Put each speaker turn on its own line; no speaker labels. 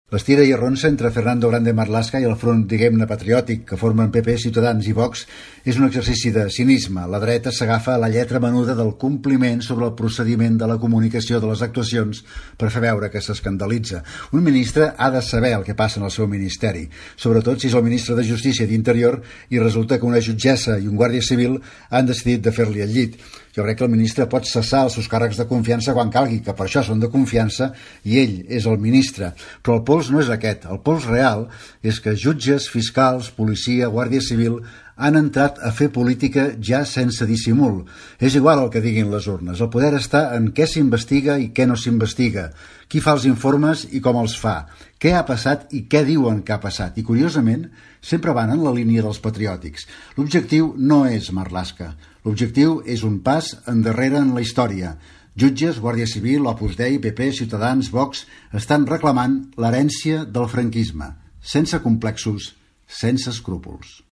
L'estira i arronsa entre Fernando Grande Marlaska i el front, diguem-ne, patriòtic que formen PP, Ciutadans i Vox és un exercici de cinisme. La dreta s'agafa a la lletra menuda del compliment sobre el procediment de la comunicació de les actuacions per fer veure que s'escandalitza. Un ministre ha de saber el que passa en el seu ministeri, sobretot si és el ministre de Justícia i d'Interior i resulta que una jutgessa i un guàrdia civil han decidit de fer-li el llit. Jo crec que el ministre pot cessar els seus càrrecs de confiança quan calgui, que per això són de confiança i ell és el ministre. Però el pols no és aquest. El pols real és que jutges, fiscals, policia, guàrdia civil han entrat a fer política ja sense dissimul. És igual el que diguin les urnes. El poder està en què s'investiga i què no s'investiga, qui fa els informes i com els fa, què ha passat i què diuen que ha passat. I, curiosament, sempre van en la línia dels patriòtics. L'objectiu no és Marlaska. L'objectiu és un pas endarrere en la història. Jutges, Guàrdia Civil, Opus Dei, PP, Ciutadans, Vox estan reclamant l'herència del franquisme, sense complexos, sense escrúpols.